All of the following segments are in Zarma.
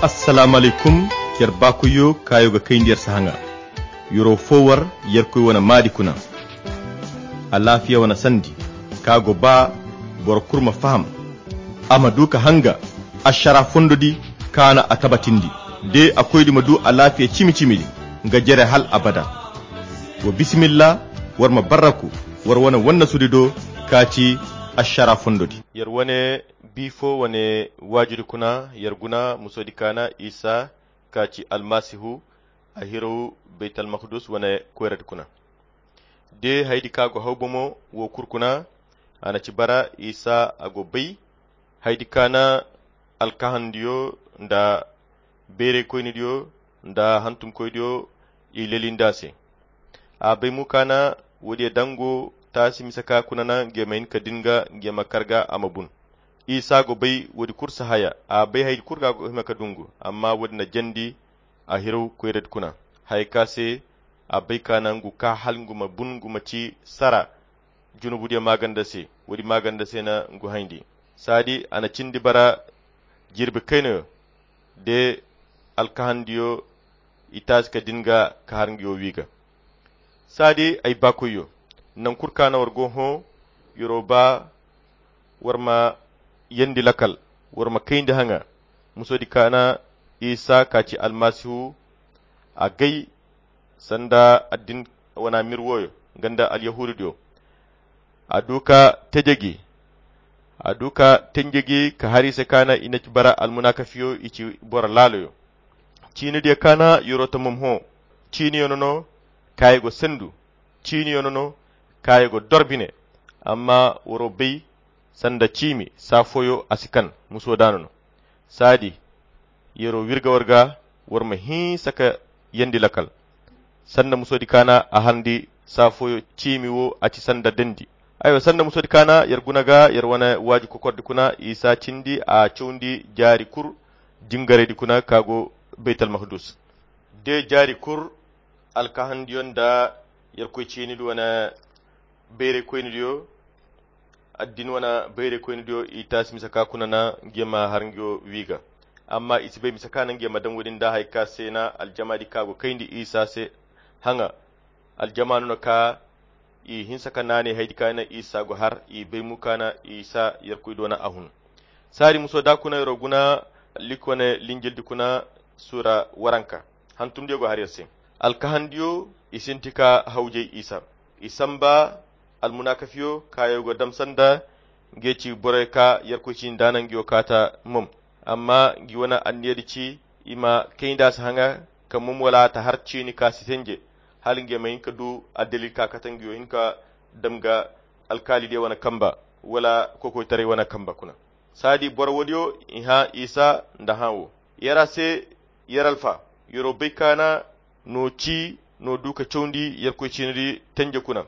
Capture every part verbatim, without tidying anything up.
Assalaamu alaykum. Yer baakoyyo kaayo ga kayndi yer se haŋa. Yer'o foo war yerkoy wane maadi kuna. Alaafiya wane sandi ka go ba boro kul ma faham, a ma du ka hanga ašara fondo di ka na a tabatindi. De a koydi ma du alaafiya cimi-cimi di nga jere hal abada. Wa bisimilla, war ma barraku war wane wannasudi do ka ci ašara fondo di. Yer wane bi foo wane waajudi kuna yer guna musoodi ka na isa ka ci almasihu a hiraw baytalmakdus wane koyradi kuna. De haydi ka go haw bomo wo kul kuna a na ci bara isa a go bay haydi ka na alkahandiyo nda bayraykoynidiyo nda hantumkoydiyo i lelindi a se. A bay mo ka na woodiyo dango taasi mise ka kuna na ngey ma hin ka din ga ngey ma kar ga a ma bun. Isa go bay woodi kul sahaya a bay haydi kul ka go hima ka dungu amma woodi na jandi a hiraw koyradi kuna haya ka se a bay ka na ngu ka hal ngu ma bun ngu ma ci sara junubudiyo maaganda se. Woodi maaganda se na ngu hayndi saadi a na cindi bara jirbi kaynayo de alkahandiyo i taasi ka din ga ka har nguyo wi ga. Saadi ay baakoyyo, naŋ kul ka na war go hõ yer'o ba war ma yeendi lakal war ma kayndi haŋa. Musoodi ka na isa ka ci almasihu a gay sanda addin wana mir wooyo nga nda alyahuududiyo. A du ka teje gi a du ka tenje gi ka har i se ka na i na ci bara almunakafiyo i ci boro laaloyo. Ciinidiyo ka na yer'o tamam hõ ciiniyo no no kaayo go sendu ciiniyo no no kaayo go dor bine. Amma war'o bay sanda ciimi saa fooyo a si kan muso daana no. Saadi yer'o wirga war ga war ma hinsa ka yeendi lakal. Sanda musoodi ka na a harndi saa fooyo ciimi wo a ci sanda dendi. Aywa sanda musoodi ka na yer guna ga yer wane waaju kokordi kuna isa cindi a cawndi jaari kul jingaraydi kuna ka go baytalmakdus. De jaari kul alkahandiyo nda yerkoy ciinidi wane bayraykoynidiyo addin wane bayraykoynidiyo i taasi mise ka kuna na ngey ma har nguyo wi ga. Amma i si bay mise ka na ngey ma daŋ woodin nda haya ka se na aljamaadi ka go kayndi isa se haŋa. Aljamaanu no ka i hinsa ka naanay haydi ka na isa go har i bay mo ka na isa yerkoy doona a hun. Saadi muso da kuna yer'o guna lik wane linjildi kuna suura waranka hantumdiyo go har yer se. Alkahandiyo i sinti ka hawjay isa i samba almunakafiyo kaayo go dam sanda ngey ci borey ka yerkoy ciini daana nguyo kaata mom. Amma ngi wane anniyadi ci i ma kayndi a si haŋa ka mom wala ta har ciini ka si tenje hala ngey ma hin ka du addalil ka kate nguyo hin ka dam ga alkaalidiyo wane kamba wala kokoytaray wane kamba kuna. Saadi boro woodiyo i hã isa nda hã wo. Yer a se yer alfa yer'o bay ka na n'o ci n'o du ka cawndi yerkoy ciinidi tenje kuna.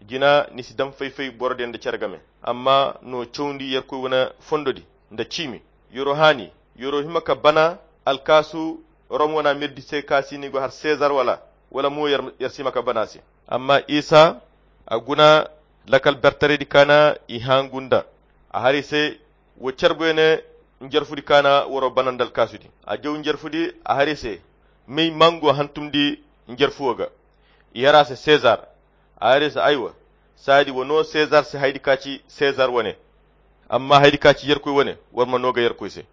Jina ni si daŋ fay-fay borodiyo nda cere game amma n'o cawndi yerkoy wane fondodi nda ciimi. Yer'o haani yer'o hima ka bana alkaasu rom wana mirdi se ka si ni go har sezar wala wala mo yer si hima ka bana se. Amma isa a guna lakal bertaraydi ka na i hã ngu nda a har i se wo carbuyo ne njarfudi ka na war'o bana nda alkaasudi. A jaw njarfudi a har i se may mango hantumndi njarfuwo ga. I har a se sezar a har i se aywa. Saadi wa no sezar se haydi ka ci sezar wane. Amma haydi ka ci yerkoy wane war ma no ga yerkoy se.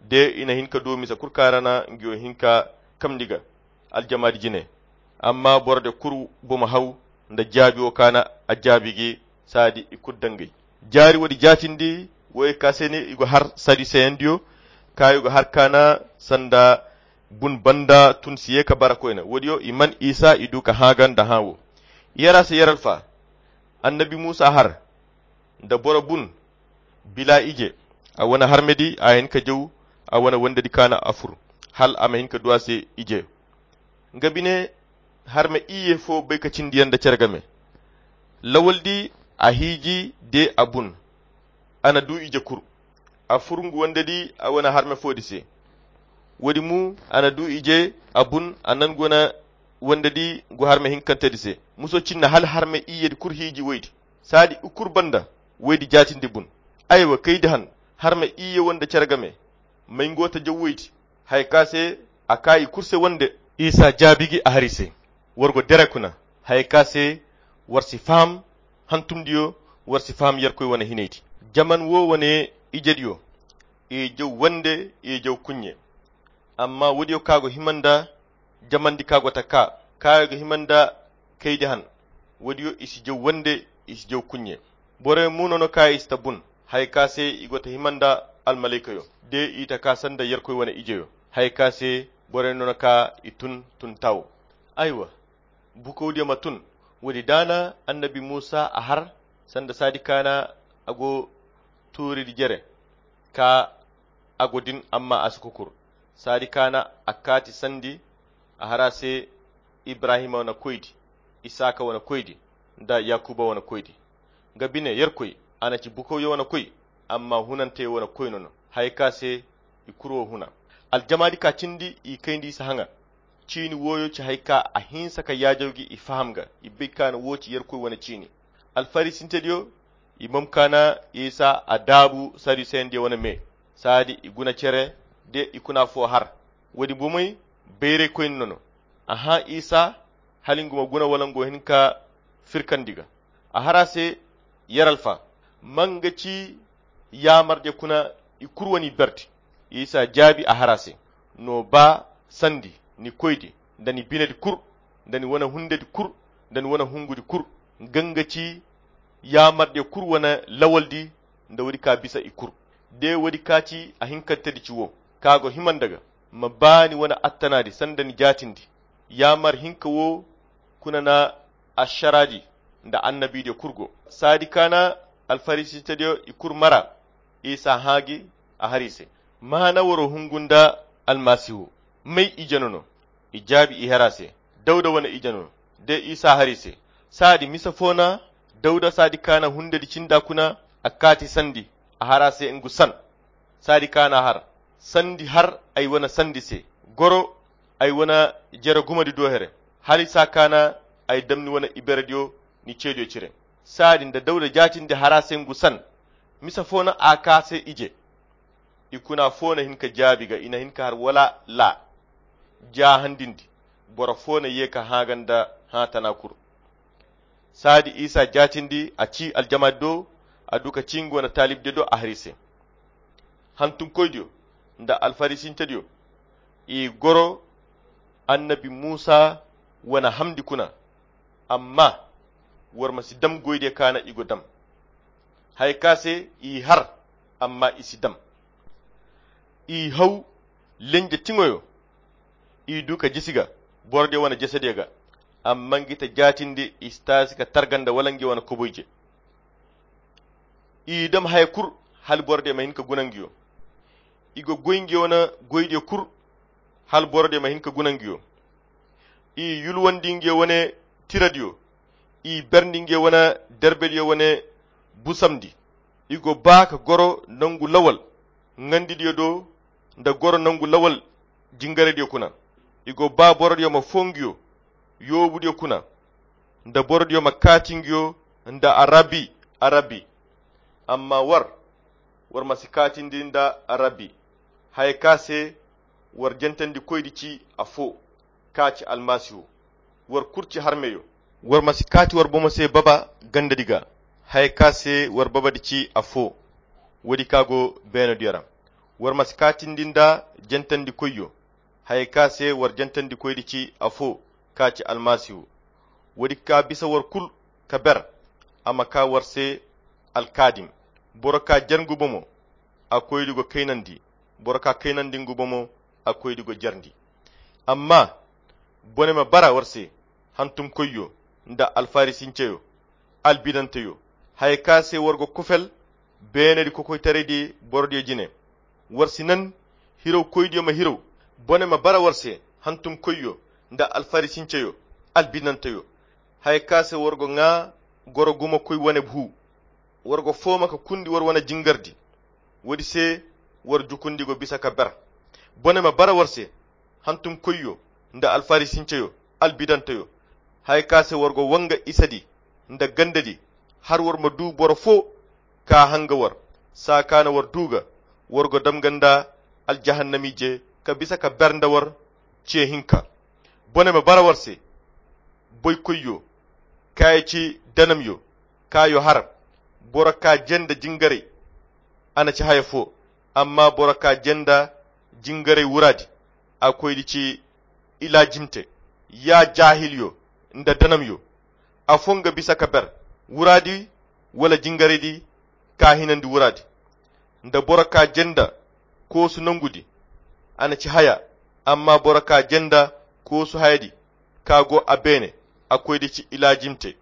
De i na hin ka du mise kul ka ra na nguyo hin ka kamndi ga aljamaadi jine. Amma borodiyo kul bomo haw nda jaabi wo ka na a jaabi gi. Saadi i kul dangay jaari woodi jaatindi wo ye ka se ne i go har saduseyandiyo ka i go har ka na sanda bun banda tun si ye ka bara koyne woodiyo i man isa i du ka hã ga nda hã wo. Yer a se yer alfa annabi muusa har nda boro bun bila ije a wane harmedi a hin ka jaw a wane wandedi ka na a fur hal a ma hin ka du a se ije. Nga bine harme iyye fo bay ka cindi yaŋ nda care game. Lawaldi a hiiji de a bun a na du ije kul. A fur ngu wandedi a wane harme foodi se. Woodi mu a na du ije a bun a na ngu wane wandedi ngu harme hinkantedi se muso cinna hala harme iyyedi kul hiiji woydi. Saadi i kul banda woydi jaatindi bun. Aywa kaydi han harme iyye wande care game. May ngo ta jaw woydi. Haya ka se a ka i kurse wande. Isa jaabi gi a hari se, war go dere kuna. Haya ka se war si faham hantumdiyo, war si faham yerkoy wane hinaydi. Jaman wo wane ijediyo, i jaw wande, i jaw kuɲɲe. Amma woodiyo ka go hima nda jamandi ka go ta ka, ka go hima nda kaydi han. Woodiyo i si jaw wande, i si jaw kuɲɲe. Borey mo no no ka i si ta bun, haya ka se i go ta hima nda almalaykayyo, de i ta ka sanda yerkoy wane ijeyyo, haya ka se borey no no ka i tun tun tawo. Aywa, bukawdiyo ma tun. Woodi daana annabi muusa a har sanda saadi kaana a go tuuridi jere ka a go din amma a si kokur. Saadi kaana a kaati sandi a har a se ibrahima wane koydi, isaaka wane koydi, nda yakuba wane koydi. Nga bine yerkoy, a na ci bukawyo wane koy, amma hunanteyo wane koy no no. Haya ka se i kuru wo huna. Aljamaadi ka cindi i kayndi isa haŋa. Ciini wooyo ci haya ka a hinsa ka yaajaw gi i faham ga, i bay ka no wo ci yerkoy wane ciini. Alfarisintediyo, i momkaana isa a daabu saduseyandiyo wane me. Saadi i guna cere de i kuna fo har. Woodi bomey bayraykoyne no no. A hã isa hala nga ma guna wala nga wo hin ka firkandi ga. A har a se, yer alfa, ma nga ci yaamardiyo kuna? I kuru wane i berdi. Isa jaabi a har a se, no ba sandi ni koydi, nda ni binedi kuru, nda ni wane hundedi kuru, nda ni wane hungudi kuru, nga nga ci yaamardiyo kuru wane lawaldi, nda woodi ka bisa i kuru. De woodi ka ci a hinkantedi ci wo, ka go hima nda ga, ma ba ni wane attanaadi sanda ni jaatindi. Yaamar hinka wo kuna na ašaraadi nda annabiidiyo kuru go. Saadi kaana alfarisintediyo i kuru mara. Isa hã gi a har i se, maana waro hungu nda almasihu? May ije no no? I jaabi i har a se, dawda wane ije no no. De isa har i se, saadi misa fo na dawda saadi kaana hundedi cinda kuna a kaati sandi a har a se ngu san. Saadi kaana har sandi har ay wane sandi se, goro ay wane jere gumadi do here, hala isa kaana ay dam ni wane iberediyo ni ceediyo cire. Saadi nda dawda jaatindi har a se ngu san, misa fo na a ka se ije? I kuna fo na hin ka jaabi ga i na hin ka har wala la jaahandindi. Boro fo na ye ka hã ga nda hã tana kuru. Saadi isa jaatindi a ci aljamaadi do, a du ka ci nga wane taalibdiyo do a har i se, hantumkoydiyo nda alfarisintediyo, i goro annabi muusa wane hamndi kuna. Amma war ma si dam goydiyo kaana i go dam. Haya ka se i har, amma i si dam. I haw lenje tiŋoyo, i du ka jisi ga borodiyo wane jesediyo ga. Amma ngi ta jaatindi i si taasi ka targa nda wala ngi wane koboyje. I dam haya kuru hala borodiyo ma hin ka guna ngiyo. I go goy ngiyo wane goydiyo kuru hala borodiyo ma hin ka guna ngiyo. I yulwandi ngiyo wane tiradiyo. I berndi ngiyo wane derbediyo wane busamndi. I go ba ka goro nangu lawal ŋandidiyo do nda goro nangu lawal jingarediyo kuna. I go ba borodiyo ma fo ngiyo yoobudiyo kuna, nda borodiyo ma kaati ngiyo nda arabi, arabi. Amma war, war ma si kaatindi nda arabi. Haya ka se war jantandikoydi ci afo, ka ci almasihu. War kulu ci harmeyo. War ma si kaati war bomo se baba gandadi ga, haya ka se war babadi ci afo. Woodi ka go beenodiyo ra. War ma si kaatindi nda jantandikoyyo, haya ka se war jantandikoydi ci afo, ka ci almasihu. Woodi ka bisa war kulu ka ber, a ma ka war se alkaadim. Boro ka jer ngu bomo, a koydi go kaynandi. Boro ka kaynandi ngu bomo, a koydi go jerndi. Amma bone ma bara war se, hantumkoyyo nda alfarisinceyo, albinanteyo, haya ka se war go kofel beenedi kokoytaraydi borodiyo jine. War si nan hirawkoydiyo ma hiraw. Bone ma bara war se, hantumkoyyo nda alfarisinceyo, albinanteyo, haya ka se war go ŋaa goro gumakoy wane hu. War go fooma ka kundi war wane jingardi. Woodi se war jukundi go bisa ka ber. Bone ma bara war se, hantumkoyyo nda alfarisinceyo, albidanteyo, haya ka se war go wanga isadi nda gandadi, har war ma du boro fo ka hanga war. Saa ka na war du ga, war go dam ga nda aljahannamiije ka bisa ka ber nda war ce hinka. Bone ma bara war se, boykoyyo, kaayo ci danamyo, kaayo har, boro ka jenda jingaray, a na ci haya fo, amma boro ka jenda jingaray wuraadi, a koydi ci ilaajimte. Ya jaahilyo nda danamyo, afo nga bisa ka ber wuraadi wala jingaraydi ka hinandi wuraadi. Nda boro ka jenda koosu nangudi, a na ci haya, amma boro ka jenda koosu hayadi ka go a beene, a koydi ci ilaajimte.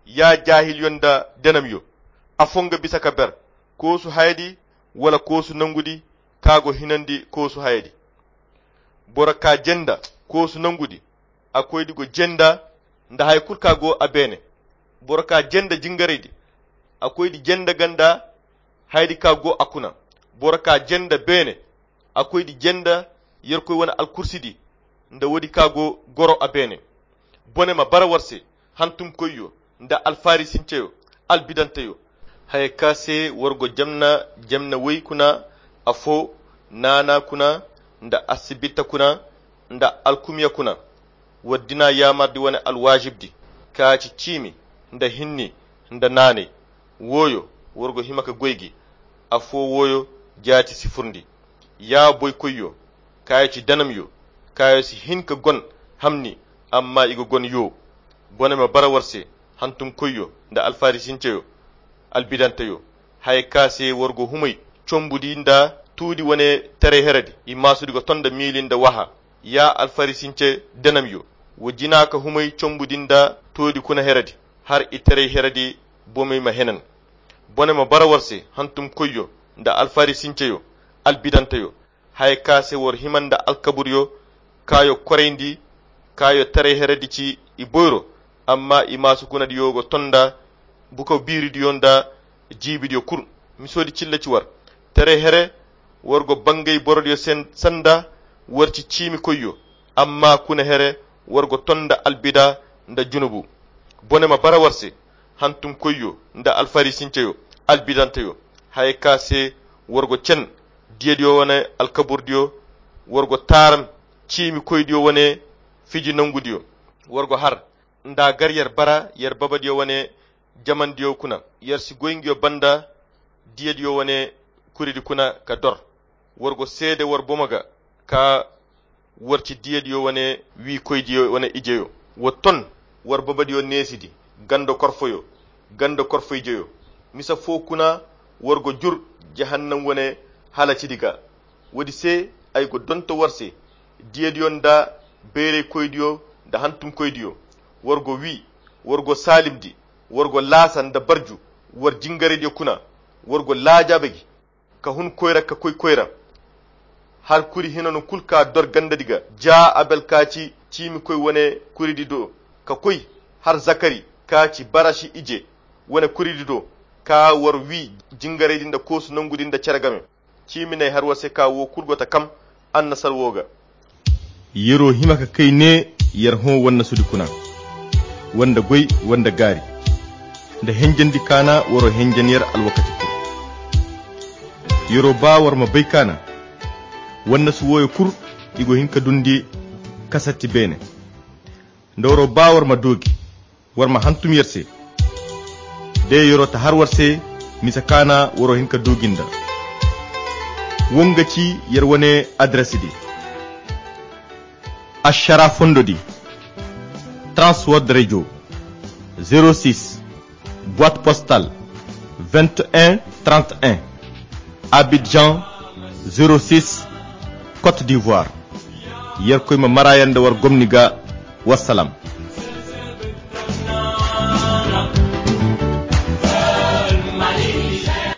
Ya jaahilyo nda danamyo, afo nga bisa ka ber koosu hayadi wala koosu nangudi ka go hinandi koosu hayadi. Boro ka jenda koosu nangudi, a koydi go jenda nda hay kulu ka go a beene. Boro ka jenda jingaraydi, a koydi jenda ganda hayadi ka go a kuna. Boro ka jenda beene, a koydi jenda Yerkoy wane alkursidi nda woodi ka go goro a beene. Bone ma bara war se, hantumkoyyo nda alfarisinceyo, albidanteyo. Haya ka se war go jamna, jamna way kuna, afo, naana kuna, nda asibita kuna, nda alkumya kuna. War dina yaamardi wane alwaajibdi, ka ci ciimi, nda hinni, nda naanay. Wooyo, war go hima ka goy gi, afo wooyo jaati si furndi. Ya boykoyyo, kaayo ci danamyo, kaayo si hin ka gon hamni, amma i ga gon yo. Bone ma bara war se, hantumkoyyo nda alfarisinceyo, albidanteyo. Haya ka se war go humay combudi nda tuudi wane taray heredi, i maasudi go ton nda miili nda waha. Ya alfarisince danamyo, wa jina ka humay combudi nda tuudi kuna heredi, har i taray heredi bomey ma henan. Bone ma bara war se, hantumkoyyo nda alfarisinceyo, albidanteyo. Haya ka se war hima nda alkaburyo, kaayo korayndi, kaayo taray heredi ci i boyro, amma i maasu kunadiyo go ton nda bukaw biiridiyo nda jiibidiyo kulu. Misoodi cilla ci war. Taray here, war go bangay borodiyo sen-, sanda war ci ciimikoyyo, amma kuna here, war go ton nda albida nda junubu. Bone ma bara war se, hantumkoyyo nda alfarisinceyo, albidanteyo. Haya ka se war go cen diyadiyo wane alkaburdiyo, war go taaram ciimikoydiyo wane fiji nangudiyo. War go har nda gar yer bara yer babadiyo wane jamandiyo kuna. Yer si goy ngiyo banda diyadiyo wane kuridi kuna ka dor. War go seede war bomo ga ka war ci diyadiyo wane wiikoydiyo wane ijeyo. Wa ton war babadiyo neesidi, ganda korfoyo, ganda korfo ijeyo. Misa fo kuna war go jur jahannam wane halacidi ga. Woodi se ay go donto war se, diyadiyo nda bayraykoydiyo nda hantumkoydiyo. War go wi, war go saalimdi, war go laasa nda barju, war jingaraydiyo kuna. War go laajaabe gi, ka hun koyra ka koy koyra. Har kuri hinano kulu ka dor gandadi ga, ja Abel ka ci ciimikoy wane kuridi do, ka koy har Zakari ka ci Barashi ije wane kuridi do, ka war wi jingaraydi nda koosu nangudi nda cere game. Ciimi n'ay har war se ka wo kulu go ta kam annasar wo ga. Yero hima ka kay ne yer hõ wannasudi kuna, wanda goy, wanda gaari, nda henjandi kaana waro henjan yer alwakati kulu. Yero ba war ma bay kaana, wannasu wooyo kulu i go hin ka dundi kasatti beene. Nda waro ba war ma doogi, war ma hantum yer se. De yero ta har war se, misa kaana waro hin ka doogi nda. Wo nga ci yer wane adresidi. Ašara fondodi, Trans World Radio, zéro six, boîte postale, vingt et un trente et un, Abidjan, zéro six, Côte d'Ivoire. Yerkoy ma mara yaŋ nda war gomni ga. Wassalam.